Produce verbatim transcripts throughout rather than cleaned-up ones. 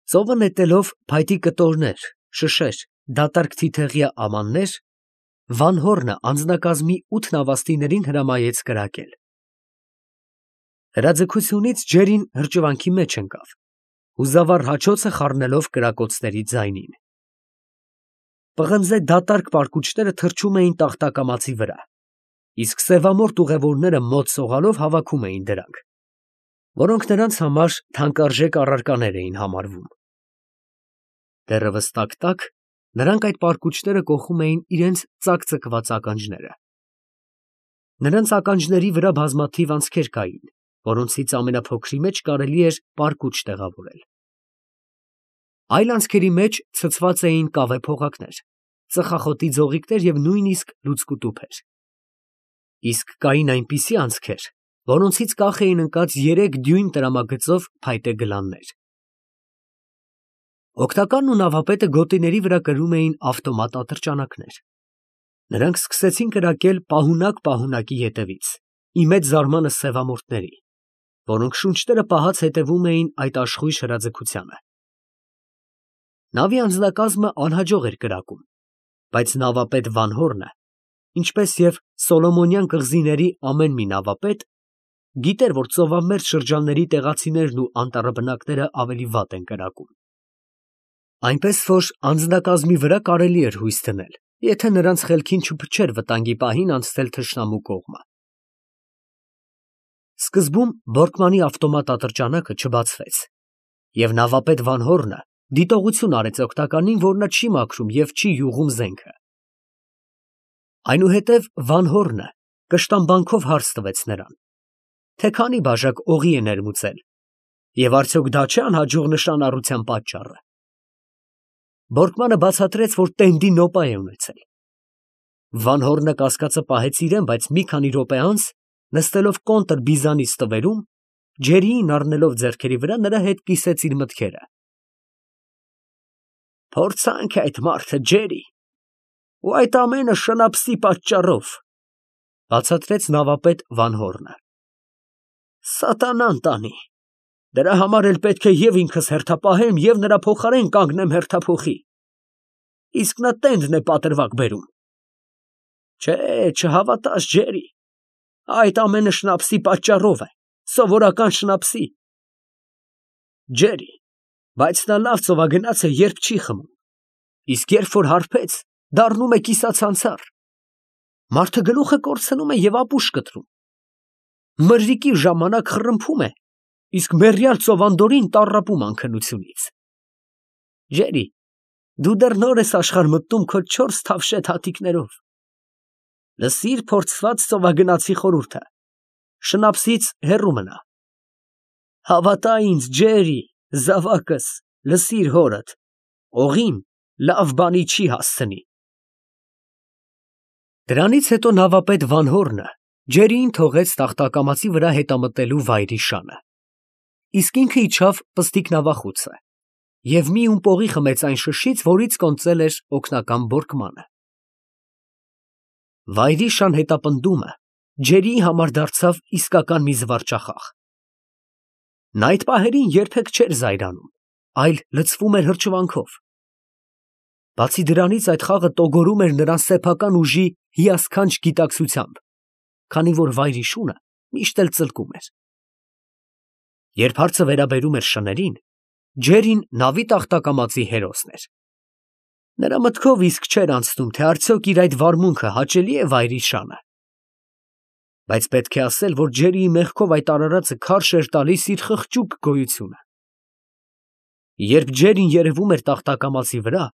Ծովը նետելով փայտի կտորներ, շշեր, դատարկ թիթեղյա ամաններ, Վանհոռնը անձնակազմի ութ նավաստիներին հրամայեց կրակել։ Հրաձգությունից ջերին հրճվանքի մեջ ընկավ, հուզավառ հաչոցը խառնելով կրակոցների ձայնին։ Պղնձե դատարկ պարկուճները թռչում էին տախտակամածի վրա, իսկ սևամորթ ուղևորները մոտ սողալով հավաքում էին դրանք, որոնք նրանց համար թանկարժեք առարկաներ էին համարվում։ Դեռևս տակ֊տակ նրանք այդ պարկուճները կոխում էին իրենց ծակծկված ականջները։ Նրանց ականջների վրա բազմաթիվ անցքեր կային, որոնցից ամենափոքրի մեջ կարելի էր պարկուճ տեղավորել։ Այլ անցքերի մեջ ցցված էին կավե փողակներ, ծխախոտի ձողիկներ և նույնիսկ լուցկու տուփեր։ Իսկ կային այնպիսի անցքեր, որոնցից կախ էին ընկած երեք դյույմ տրամագծով փայտե գլաններ։ Օգնականն ու նավապետը գոտիների վրա կրում էին ավտոմատ ատրճանակներ։ Նրանք սկսեցին կրակել պահունակ պահունակի ետևից, ի մեծ զարմանս սևամորթների, որոնք շունչները պահած հետևում էին այդ աշխույժ հրաձգությանը։ Նավի անձնակազմը անհաջող էր կրակում, բայց նավապետ Վանհոռնը, ինչպես և Սոլոմոնյան կղզիների ամեն մի նավապետ, գիտեր, որ ծովամերձ շրջանների տեղացիներն ու անտառաբնակները ավելի վատ են կրակում։ Այնպես որ անձնակազմի վրա կարելի էր հույս դնել, եթե նրանց խելքին չփչեր վտանգի պահին անցնել թշնամու կողմը։ Սկզբում Բորկմանի ավտոմատ ատրճանակը չբացվեց, և նավապետ Վանհոռնը դիտողություն արեց օգնականին, որ նա չի մաքրում և չի յուղում զենքը։ Այնուհետև Վանհոռնը կշտամբանքով հարց տվեց նրան, թե քանի բաժակ օղի է ներմուծել, և արդյոք դա չէ անհաջող նշանառության պատճառը։ Բորկմանը բացատրեց, որ տենդի նոպա է ունեցել։ Վանհոռնը կասկածը պահեց իրեն, բայց մի քանի րոպե անց, նստելով կոնտր բիզանի ստվերում, ջերիին առնելով ձեռքերի վրա, նրա հետ կիսեց իր մտքերը։ «Փորձանք է այդ մարդը, Ջերի, ու այդ ամենը շնապսի պատճառով», ֊ բացատրեց նավապետ Վանհոռնը։ «Սատանան տանի, դրա համար էլ պետք է և ինքս հերթապահեմ և նրա փոխարեն կանգնեմ հերթափոխի, իսկ նա տենդն է պատրվակ բերում։ Չէ, չհավատաս, Ջերի, այդ ամենը շնապսի պատճառով է, սովորական շնապսի։ Ջերի, բայց նա լավ ծովագնաց է, երբ չի խմում, իսկ երբ որ հարբեց, դառնում է կիսացանցառ։ Մարդը գլուխը կորցնում է և ապուշ կտրում։ Մրրիկի ժամանակ խռմփում է, իսկ մեռյալ ծովանդորին տառապում անքնությունից։ Ջերի, դու դեռ նոր ես աշխարհ մտնում քո չորս թավշետ հատիկներով։ Լսիր փորձված ծովագնացի խորհուրդը, շնապսից հեռու մնա։ Հավատա ինձ, Ջերի, զավակս, լսիր հորդ, օղին լավ բանի չի հասցնի։ Դրանից հետո նավապետ Վանհոռնը ջերիին թողեց տախտակամածի վրա հետամտելու վայրի շանը, իսկ ինքը իջավ պստիկ նավախուցը և մի ում պողի խմեց այն շշից, որից կոնծել էր օգնական Բորկմանը։ Վայրի շան հետապնդումը ջերիի համար դարձավ իսկական մի զվարճախաղ։ Նա այդ պահերին երբեք չէր զայրանում, այլ լցվում էր հրճվանքով։ Բացի դրանից, այդ խաղը տոգորում էր նրան սեփական ուժի հիասքանչ գիտակցությամբ, քանի որ վայրի շունը միշտ էլ ծլկում էր։ Երբ հարցը վերաբերում էր շներին, Ջերին նավի տախտակամածի հերոսն էր։ Նրա մտքով իսկ չէր անցնում, թե արդյոք իր այդ վարմունքը հաճելի է վայրի շանը։ Բայց պետք է ասել, որ Ջերիի մեղքով այդ արարածը քարշ էր տալիս իր խղճուկ գոյությունը։ Երբ Ջերին երևում էր տախտակամածի վրա,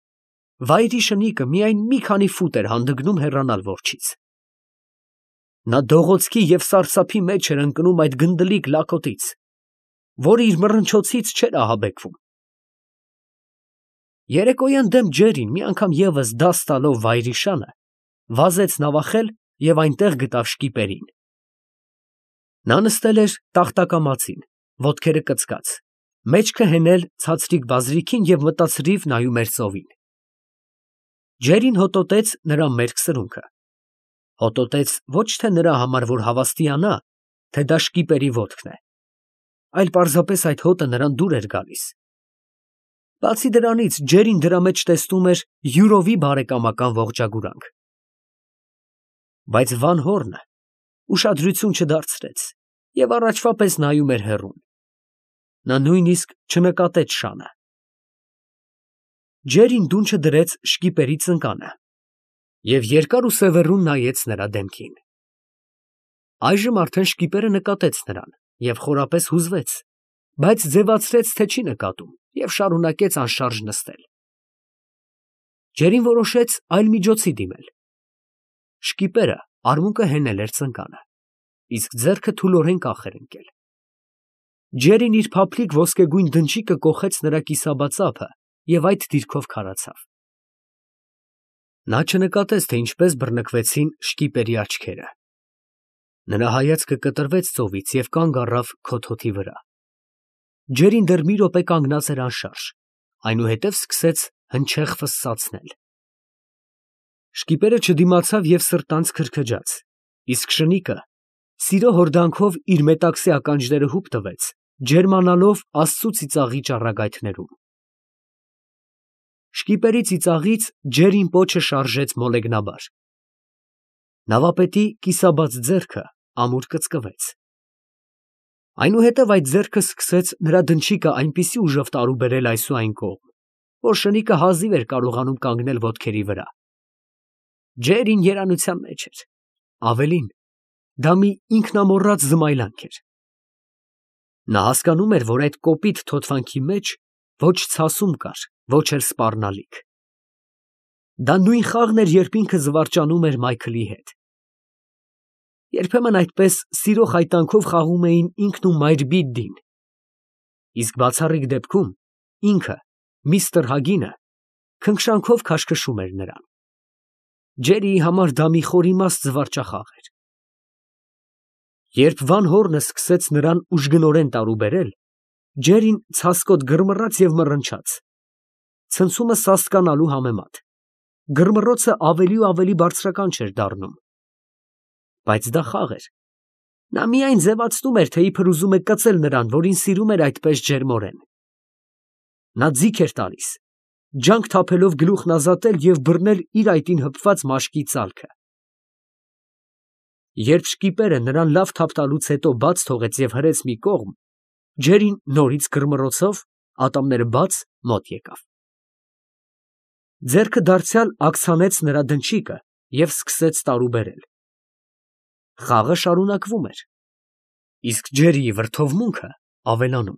վայրի շնիկը միայն մի քանի ֆուտ էր հանդգնում հեռանալ որջից։ Նա դողոցքի և սարսափի մեջ էր ընկնում այդ գնդլիկ լակոտից, որը իր մռնչոցից չէր ահաբեկվում։ Երեկոյան դեմ Ջերին, մի անգամ ևս դաս տալով վայրի շանը, վազեց նավախել և այնտեղ գտավ շկիպերին։ Նա նստել էր տախտակամածին, ոտքերը կծկած, մեջքը հենել ցածրիկ բազրիքին և մտածրիվ նայում էր ծովին։ Ջերին հոտոտեց նրա մերկ սրունքը։ Հոտոտեց ոչ թե նրա համար, որ հավաստիանա, թե դա շկիպերի ոտքն է, այլ պարզապես այդ հոտը նրան դուր էր գալիս։ Բացի դրանից, Ջերին դրա մեջ տեսնում էր յուրովի բարեկամական ողջագուրանք։ Բայց Վան Հորնը ուշադրություն չդարձրեց և առաջվա պես նայում էր հեռուն. նա նույնիսկ չնկատեց շանը։ Ջերին դունչը դրեց շկիպերի ծնկանը և երկար ու սևեռուն նայեց նրա դեմքին։ Այժմ արդեն շկիպերը նկատեց նրան և խորապես հուզվեց, բայց ձևացրեց, թե չի նկատում և շարունակեց անշարժ նստել։ Ջերին որոշեց այլ միջոցի դիմել։ Շկիպերը արմունկը հենել էր ծնկանը, իսկ ձեռքը թուլորեն կախ էր ընկել։ Ջերին իր փափլիկ ոսկեգույն դնչիկը կոխեց նրա կիսաբաց ափը և այդ դիրքով քարացավ։ Նա չնկատեց, թե ինչպես բռնկվեցին շկիպերի աչքերը։ Նրա հայացքը կտրվեց ծովից և կանգ առավ քոթոթի վրա։ Ջերին դեռ մի րոպե կանգնած էր անշարժ, այնուհետև սկսեց հնչեղ ֆսսացնել։ Շկիպերը չդիմացավ և սրտանց քրքջաց, իսկ շնիկը սիրո հորդանքով իր մետաքսե ականջները հուպ տվեց, ջերմանալով Աստծու ծիծաղի ճառագայթներում։ Շկիպերի ծիծաղից Ջերին պոչը շարժեց մոլեգնաբար։ Նավապետի կիսաբաց ձեռքը ամուր կծկվեց։ Այնուհետև այդ ձեռքը սկսեց նրա դնչիկը այնպիսի ուժով տարուբերել այս ու այն կողմ, որ շնիկը հազիվ էր կարողանում կանգնել ոտքերի վրա։ Ջերին երանության մեջ էր, ավելին, դա մի ինքնամոռաց զմայլանք էր։ Նա հասկանում էր, որ այդ կոպիտ թոթվանքի մեջ ոչ ցասում կար, ոչ էլ սպառնալիք։ Դա նույն խաղն էր, երբ ինքը զվարճանում էր Մայքլի հետ։ Երբեմն այդպես սիրո խայտանքով խաղում էին ինքն ու Մայրբիդդին, իսկ բացառիկ դեպքում ինքը, միստր Հագինը, քնքշանքով քաշքշում էր նրան։ Ջերիի համար դա մի խորիմաստ զվարճախաղ էր։ Երբ Վան Հորնը սկսեց նրան ուժգնորեն տարուբերել, Ջերին ցասկոտ գրմռաց և մռնչաց, ցնցումը սաստկանալու համեմատ, գրմռոցը ավելի ու ավելի բարձրական չէր դառնում։ Բայց դա խաղ էր։ Նա միայն ձևացնում էր, թե իբր ուզում է կծել նրան, որին սիրում էր այդպես ջերմորեն։ Նա ձիգ էր տալիս, ջանք թափելով գլուխն ազատել և բռնել իր այտին հպված մաշկի ծալքը։ Երբ շկիպերը նրան լավ թափ տալուց հետո բաց թողեց և հրեց մի կողմ, Ջերին նորից գրմռոցով, ատամները բաց, մոտ եկավ։ Ձեռքը դարձյալ աքս հանեց նրա դնչիկը և սկսեց տարուբերել։ Խաղը շարունակվում էր, իսկ Ջերիի վրդովմունքը ավելանում։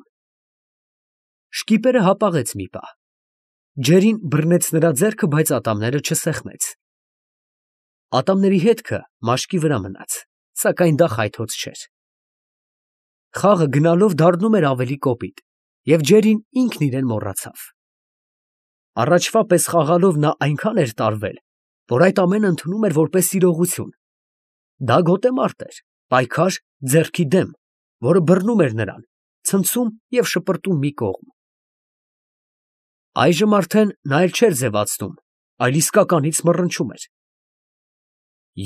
Շկիպերը հապաղեց մի պահ։ Ջերին բռնեց նրա ձեռքը, բայց ատամները չսեղմեց։ Ատամների հետքը մաշկի վրա մնաց, սակայն դա խայթոց չէր։ Խաղը գնալով դառնում էր ավելի կոպիտ, և Ջերին ինքն իրեն մոռացավ։ Առաջվա պես խաղալով նա այնքան էր տարվել, որ այդ ամենը ընդունում էր որպես իրողություն։ Դա գոտեմարտ էր, պայքար ձեռքի դեմ, որը բռնում էր նրան, ցնցում և շպրտում մի կողմ։ Այժմ արդեն նա էլ չէր ձևացնում, այլ իսկականից մռնչում էր։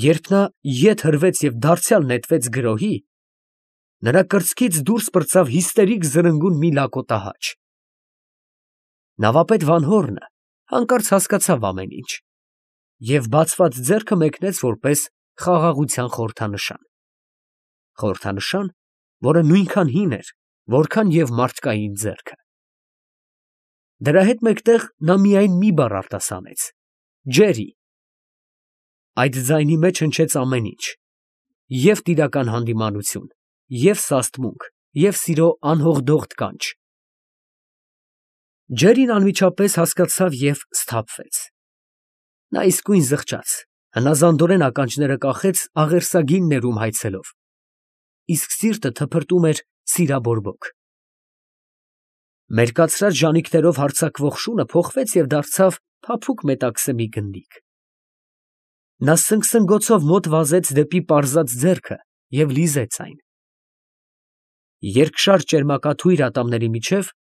Երբ նա ետ հրվեց և դարձյալ նետվեց գրոհի, նրա կրծքից դուրս պրծավ հիստերիկ զրնգուն մի լակոտահաչ։ Նավապետ Վան Հորնը հանկարծ հասկացավ ամեն ինչ և բացված ձեռքը մեկնեց որպես խաղաղության խորհրդանշան։ Խորհրդանշան, որը նույնքան հին էր, որքան և մարդկային ձեռքը։ Դրա հետ մեկտեղ նա միայն մի բառ արտասանեց. «Ջերի»։ Այդ ձայնի մեջ հնչեց ամեն ինչ. և տիրական հանդիմանություն, և սաստմունք, և սիրո անհողդող կանչ։ Ջերին անմիջապես հասկացավ և սթափվեց։ Նա իսկույն զղջաց, հնազանդորեն ականջները կախեց աղերսագին ներում հայցելով, իսկ սիրտը թփրտում էր սիրաբորբոք։ Մերկացրած ժանիքներով հարձակվող շունը փոխվեց և դարձավ փափուկ մետաքսե մի գնդիկ։ Նա սնգսնգոցով մոտ վազեց դեպի պարզած ձեռքը և լիզեց այն։ Երկշար ճերմակաթույր ատամների միջև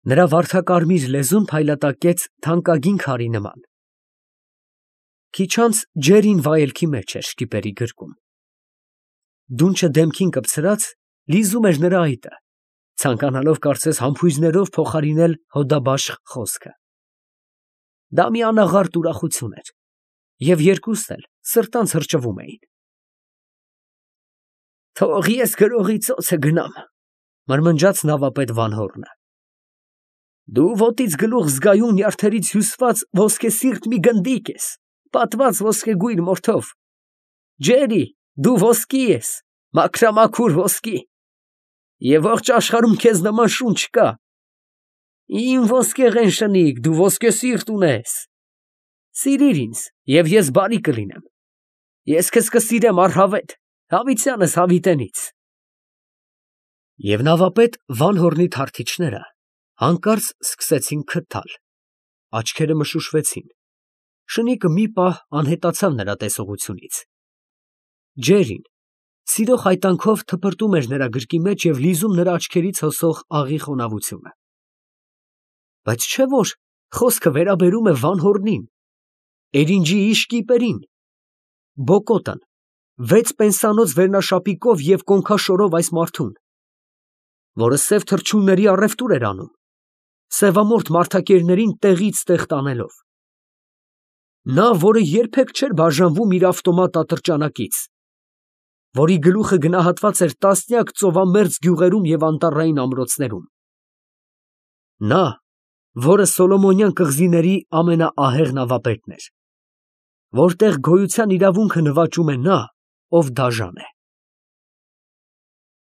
նրա վարդակարմիր լեզուն փայլատակեց թանկագին քարի նման։ Քիչ անց Ջերին վայելքի մեջ էր շկիպերի գրկում։ Դունչը դեմքին կպցրած լիզում էր նրա այտը, ցանկանալով կարծես համբույզներով փոխարինել հոդաբաշխ խոսքը։ Դա մի անաղարտ ուրախություն էր, և երկուսն էլ սրտանց հրճվում էին։ «Թող ես գրողի ծոցը գնամ», ֊ մրմնջաց նավապետ Վանհոռնը։ «Դու ոտից գլուխ զգայուն նյարդերից հյուսված ոսկեսիրտ մի գնդիկ ես, պատված ոսկեգույն մորթով։ Ջերի, դու ոսկի ես, մաքրամաքուր ոսկի, և ողջ աշխարհում քեզ նման շուն չկա։ Իմ ոսկեղեն շնիկ, դու ոսկեսիրտ ունես։ Սիրիր ինձ, և ես բարի կլինեմ. ես քեզ կսիրեմ առհավետ, հավիտյանս հավիտենից»։ Եվ նավապետ Վանհոռնի թառթիչները հանկարծ սկսեցին քթալ, աչքերը մշուշվեցին, շնիկը մի պահ անհետացավ նրա տեսողությունից։ Ջերին սիրո խայտանքով թպրտում էր նրա գրկի մեջ և լիզում նրա աչքերից հոսող աղի խոնավությունը։ Բայց չէ՞ որ խոսքը վերաբերում է Վանհոռնին, Էրինջիի շկիպերին, Բոկոտն, վեց պենսանոց վերնաշապիկով և կոնքաշորով այս մարդուն, որը սև թռչունների առևտուր էր անում, սևամորթ մարդակերներին տեղից տեղ տանելով։ Նա, որը երբեք չէր բաժանվում իր ավտոմատ ատրճանակից, որի գլուխը գնահատված էր տասնյակ ծովամերձ գյուղերում և անտառային ամրոցներում։ Նա, որը Սոլոմոնյան կղզիների ամենաահեղ նավապետն էր, որտեղ գոյության իրավունքը նվաճում է նա, ով դաժան է։